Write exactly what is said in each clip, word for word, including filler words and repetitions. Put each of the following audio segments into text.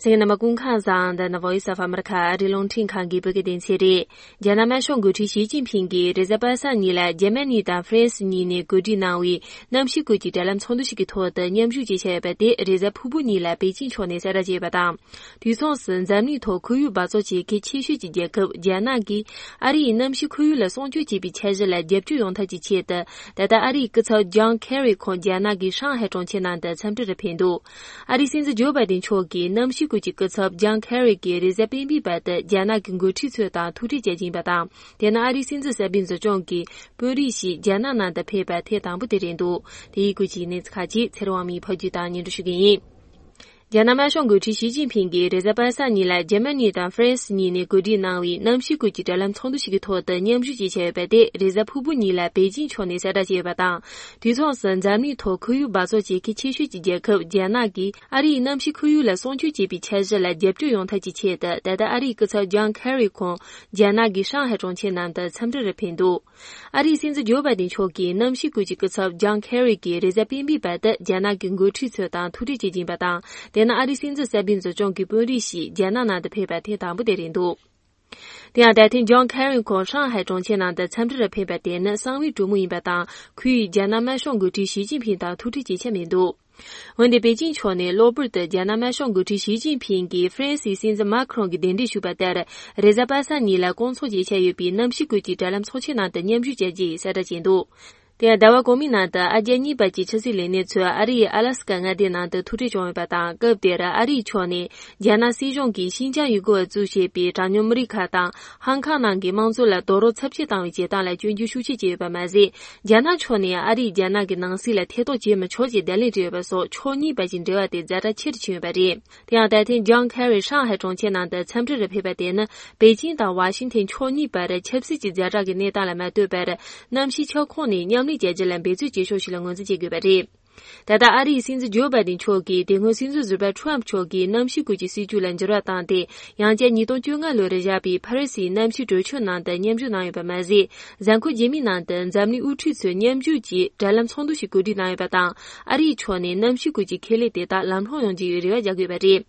གསན་མཁན་རྣམ་པ་སྐུ་ཁམས་བཟང་། འདི་ནི་Voice of America ཨ་རིའི་རླུང་འཕྲིན་ཁང་གི་བོད་སྐད་སྡེ་ཚན་རེད། རྒྱ་ནག་དམར་ཤོག་འགོ་ཁྲིད་ཞི་ཅིན་ཕིང་གིས་རེས་གཟའ་པ་སངས་ཉིན་ལ་འཇར་མ་ནི་དང་ཧྥ་རན་སི་གཉིས་ནས་གོ་སྒྲིག་གནང་བའི་གནམ་གཤིས་སྐོར་གྱི་དྲ་ལམ་ཚོགས་འདུ་ཞིག་གི་ཐོག་ཏུ་མཉམ་ཞུགས་བྱེད་འཆར་ཡོད་པ་དེ་རེས་གཟའ་ཕུར་བུ་ཉིན་ལ་པེ་ཅིང་ཕྱོགས་ནས་གསལ་བསྒྲགས་བྱས་ཡོད་པ་དང་། དུས་མཚུངས་སུ་འཛམ་གླིང་ཐོག་ཁོར་ཡུག་འབག་བཙོག་བྱེད་མཁན་ཆེ་ཤོས་ཀྱི་རྒྱལ་ཁབ་རྒྱ་ནག་གིས་ཨ་རི་ཡི་གནམ་གཤིས་ཁོར་ཡུག་ལ་སྲུང་སྐྱོབ་བྱེད་པའི་འཆར་གཞི་ལ་རྒྱབ་སྐྱོར་ཡོང་ཐབས་ཀྱི་ཆེད་དུ། ད་ལྟ་ཨ་རིའི་སྐུ་ཚབ་ཇོན་ཁེ་རི་ཁོང་རྒྱ་ནག་གི་ཧྲང་ཧའེ་གྲོང་ཁྱེར་ནང་དུ་འཚམས་འདྲི་རུ་ཕེབས་འདུག་ཨ་རིའི་སྲིད་འཛིན་ཇོ་བྷའི་ཏིན་མཆོག་གིས་གནམ་གཤིས་ཁུལ་གྱི་སྐུ་ཚབ་ཇོན་ཁེ་རི་གིས་རེས་གཟའ་སྤེན་པའི་བར་དུ་རྒྱ་ནག་གི་འགོ་ཁྲིད་ཚོ་དང་ཐུག་འཕྲད་བྱེད་ཀྱི་ཡིན་པ་དང་། དེ་ནི་ཨ་རིའི་སྲིད་འཛིན་གསར་པའི་འཛིན་སྐྱོང་གི་དཔོན་རིགས་ཤིག་རྒྱ་ནག་ནང་དུ་ཕེབས་པ་ཐེངས་དང་པོ་དེ་རེད་འདུག་དེ་ཡི་སྐོར་གྱི་གནས་ཚུལ་ཁག་ཅིག་ཚེ་རིང་དབང་མོས་ཕབ་སྒྱུར་དང་སྙན་སྒྲོན་ཞུ་གི་ཡིན། རྒྱ་ནག་དམར་ཤོག་འགོ་ཁྲིད་ཞི་ཅིན་ཕིང་གིས་རེས་གཟའ་པ་སངས་ཉིན་ལ་འཇར་མ་ནི་དང་ཧྥ་རན་སི་གཉིས་ནས་གོ་སྒྲིག་གནང་བའི་གནམ་གཤིས་སྐོར་གྱི་དྲ་ལམ་ཚོགས་འདུ་ཞིག་གི་ཐོག་ཏུ་མཉམ་ཞུགས་བྱེད་འཆར་ཡོད་པ་དེ་རེས་གཟའ་ཕུར་བུ་ཉིན་ལ་པེ་ཅིང་ཕྱོགས་ནས་གསལ་བསྒྲགས་བྱས་ཡོད་པ་དང་། དུས་མཚུངས་སུ་འཛམ་གླིང་ཐོག་ཁོར་ཡུག་འབག་བཙོག་བྱེད་མཁན་ཆེ་ཤོས་ཀྱི་རྒྱལ་ཁབ་རྒྱ་ནག་གིས་ཨ་རིའི་གནམ་གཤིས་ཁོར་ཡུག་ལ་སྲུང་སྐྱོབ་བྱེད་པའི་འཆར་གཞི་ལ་རྒྱབ་སྐྱོར་ཡོང་ཐབས་ཀྱི་ཆེད་དུ། ད་ལྟ་ཨ་རིའི་སྐུ་ཚབ་ཇོན་ཁེ་རི་ཁོང་རྒྱ་ནག་གི་ཧྲང་ཧའེ་གྲོང་ཁྱེར་ནང་དུ་འཚམས་འདྲི་རུ་ཕེབས་འདུག་ཨ་རིའི་སྲིད་འཛིན་ཇོ་བྷའི་ཏིན་མཆོག་གིས་གནམ་གཤིས་སྐོར་གྱི་སྐུ་ཚབ་ཇོན་ཁེ་རི་གིས་རེས་གཟའ་སྤེན་པའི་བར་དུ་རྒྱ་ནག་གི་འགོ་ཁྲིད་ཚོ་དང་ཐུག་འཕྲད་བྱེད་ཀྱི་ཡིན་པ་དང་། དེ་ནི་ཨ་རིའི་སྲིད་འཛིན་གསར་པའི་འཛིན་སྐྱོང་གི་དཔོན་རིགས་ཤིག་རྒྱ་ནག་ནང་དུ་ཕེབས་པ་ཐེངས་དང་པོ་དེ་རེད་འདུག་དེ་ཡང་ད་ཐེངས་ཇོན་ཁེ་རི་ཁོང་ཧྲང་ཧའེ་གྲོང་ཁྱེར་ནང་དུ་འཚམས་འདྲི་རུ་ཕེབས་པ་དེ་ནི་གསང་བའི་གྲོས་མོལ་ཡིན་པ་དང་། ཁོས་རྒྱ་ནག་དམར་ཤོག་འགོ་ཁྲིད་ཞི་ཅིན་ཕིང་དང་ཐུག་འཕྲད་བྱེད་འཆར་མེད་འདུག་འོན་ཏེ་པེ་ཅིང་ཕྱོགས་ནས་གློ་བུར་དུ་རྒྱ་ནག་དམར་ཤོག་འགོ་ཁྲིད་ཞི་ཅིན་ཕིང་གིས་ཧྥ་རན་སིའི་སྲིད་འཛིན་མཱ་ཁི་རོང་གི་གདན་འདྲེན་ཞུས་པ་ལྟར། རེས་གཟའ་པ་སངས་ཉིན་ལ་སྐོང་ཚོགས་བྱེད་འཆར་ཡོད་པའི་གནམ་གཤིས་སྐོར་གྱི་དྲ་ལམ་ཚོགས་ཆེན་ནང་དུ་མཉམ་ཞུགས་བྱ་རྒྱུ་ཡིན་གསལ་བསྒྲགས་བྱས་འདུག་དེ་ཡང་ཟླ་བ་གོང་མའི་ནང་དུ་ཨ་རྒྱ་གཉིས་བར་གྱི་ཕྱི་སྲིད་ལས་སྣེ་ཚོས་ཨ་རིའི་ཨ་ལ་སི་ཀ་མངའ་སྡེ་ནང་དུ་ཐུག་འཕྲད་བྱུང་ཡོད་པ་དང་། སྐབས་དེར་ཨ་རིའི་ཕྱོགས་ནས་རྒྱ་ནག་སྲིད་གཞུང་གིས་ཤིན་ཅང་ཡུ་གུར་བ་གཙོ་བྱས་པའི་གྲངས་ཉུང་མི་རིགས་ཁག་དང་། ཧང་ཀང་ནང་གི་དམངས་གཙོ་ལ་རྡོག་རོལ་ཚབས་ཆེ་བཏང་བའི་བྱེད་སྟངས་ལ་སྐྱོན་བརྗོད་ཤུགས་ཆེ་བྱས་ཡོད་པ་མ་ཟད། རྒྱ་ནག་ཕྱོགས་ནས་ཨ་རིས་རྒྱ་ནག་གི་ནང་སྲིད་ལ་ཐེ་གཏོགས་བྱེད་མི་ཆོག་ཅེས་བརྡ་ལན་སྤྲད་ཡོད་པ་སོགས་ཕྱོགས་གཉིས་བར་གྱི་འབྲེལ་བ་དེ་ཛ་དྲག་ཆེ་རུ་ཕྱིན་ཡོད་པ་རེད། དེ་ཡང་ད་ཐེངས་ཇོན་ཁེ་རི་ཧྲང་ཧའེ་གྲོང་ཁྱེར་ནང་དུ་འཚམས་འདྲི་རུ་ཕེབས་པ་དེ་ནི། པེ་ཅིང་དང་ཝ་ཤིང་ཐན་ཕྱོགས་གཉིས་བར་ཆབ་སྲིད་ཀྱི་ཛ་དྲག་གི་གནས་སྟངས་ལ་མ་ལྟོས་པར། གནམ་གཤིས་ཁྱབ་ཁོངས་ནས་མཉམ་ལས་བྱ་རྒྱུ་ལ་འབད་བརྩོན་བྱེད་ཕྱོགས་ཤིག་ལ་ངོས་འཛིན་བྱེད་དགོས་པ་རེད། ད་ལྟ་ཨ་རིའི་སྲིད་འཛིན་ཇོ་བྷའི་ཏིན་མཆོག་གིས་དེ་སྔོན་སྲིད་འཛིན་ཟུར་པ་ཁྲོམ་མཆོག་གིས་གནམ་གཤིས་སྐོར་གྱི་སྲིད་ཇུས་ལ་འགྱུར་བ་བཏང་སྟེ། ཡང་བསྐྱར་ཉིས་སྟོང་བཅོ་ལྔ་ལོར་བཞག་པའི་ཕ་རི་སིའི་གནམ་གཤིས་གྲོས་ཆོད་ནང་དུ་མཉམ་ཞུགས་གནང་ཡོད་པ་མ་ཟད། གཟའ་འཁོར་རྗེས་མའི་ནང་དུ་འཛམ་གླིང་དབུ་ཁྲིད་ཚོས་མཉམ་ཞུགས་ཀྱིས་དྲ་ལམ་ཚོགས་འདུ་ཞིག་གོ་སྒྲིག་གནང་ཡོད་པ་དང་། ཨ་རིའི་ཕྱོགས་ནས་གནམ་གཤིས་སྐོར་གྱི་ཁེ་ལས་དེ་དག་ལམ་ལྷོང་ཡོང་རྒྱུའི་རེ་བ་རྒྱག་དགོས་པ་རེད།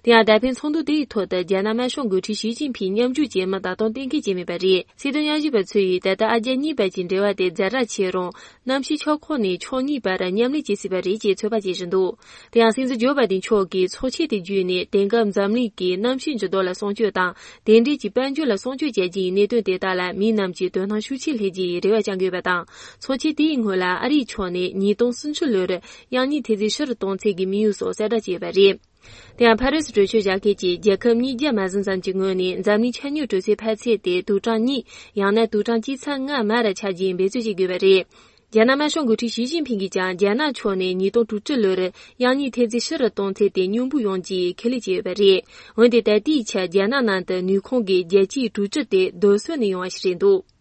དེ་ཡང་ད་ཕན་ཚོགས་འདུ་དེའི་ཐོག་ཏུ་རྒྱ་ནག་དམར་ཤོག་འགོ་ཁྲིད་ཞི་ཅིན་ཕིང་མཉམ་ཞུགས་བྱེད་མིན་ད་དུང་གཏན་འཁེལ་བྱས་མེད་པ་རེད། སྲིད་དོན་དབྱེ་ཞིབ་པ་ཚོས་ད་ལྟ་ཨ་རྒྱ་གཉིས་བར་གྱི་འབྲེལ་བ་དེ་ཛ་དྲག་ཆེ་རུང་། གནམ་གཤིས་ཁྱབ་ཁོངས་ནས་ཕྱོགས་གཉིས་བར་མཉམ་ལས་བྱེད་སྲིད་པ་རེད་ཅེས་ཚོད་དཔག་བྱེད་བཞིན་འདུག་དེ་ཡང་སྲིད་འཛིན་ཇོ་བྷའི་ཏིན་མཆོག་གིས་ཚོགས་ཆེན་དེ་བརྒྱུད་ནས་དེང་སྐབས་འཛམ་གླིང་གི་གནམ་གཤིས་འགྱུར་ལྡོག་ལ་སྲུང་སྐྱོབ་དང་། དེ་འབྲེལ་གྱི་དཔལ་འབྱོར་ལ་སྲུང་སྐྱོབ་བྱ་རྒྱུ་ཡི་གནད་དོན་དེ་དག་ལ་མི་རྣམས་ཀྱིས་དོ་སྣང་ཤུགས་ཆེ་སླེབས་རྒྱུ་ཡི་རེ་བ་བཅང་དགོས་པ་དང་། ཚོགས་ཆེན་དེའི་སྔོན་ལ་ཨ་རིའི་ཕྱོགས་ནས་ཉིས་སྟོང་སུམ་ཅུ་ལོར་དབྱང་གཉིས་ཐོན་རྫས་ཕྱི་རུ་གཏོང་ཚད་ཀྱི་དམིགས་ཡུལ་སོགས་གསལ་བསྒྲགས་བྱས་ཡོད་པ་རེད། དེ་ཡང་ཕ་རི་སི་གྲོས་ཆོད་བཞག་མཁན་གྱི་རྒྱལ་ཁབ་ཉིས་བརྒྱ་མ་ཟིན་ཙམ་གྱི་ངོས་ནས་འཛམ་གླིང་ཆ་སྙོམས་དྲོད་ཚད་འཕར་ཚད་དེ་དུག་གྲངས་གཉིས། ཡང་ན་དུག་གྲངས་གཅིག་ཚེག་ལྔ་མར་ཆག་རྒྱུའི་འབད་རྩོལ་བྱེད་དགོས་པ་རེད། རྒྱ་ནག་དམར་ཤོག་འགོ་ཁྲིད་ཞི་ཅིན་ཕིང་གིས་ཀྱང་རྒྱ་ནག་ཕྱོགས་ནས་ཉིས་སྟོང་དྲུག་ཅུ་ལོར་དབྱང་གཉིས་ཐོན་རྫས་ཕྱི་རུ་གཏོང་ཚད་དེ་སྙོམས་པོ་ཡོང་རྒྱུའི་ཁས་ལེན་བྱས་ཡོད་པ་རེད། འོན་ཏེ་ད་ལྟའི་ཆར་རྒྱ་ནག་ནང་དུ་ནུས་ཁུངས་ཀྱི་བརྒྱ་ཆའི་དྲུག་ཅུ་དེ་རྡོ་སོལ་ནས་ཡོང་བ་ཞིག་རེད་འདུག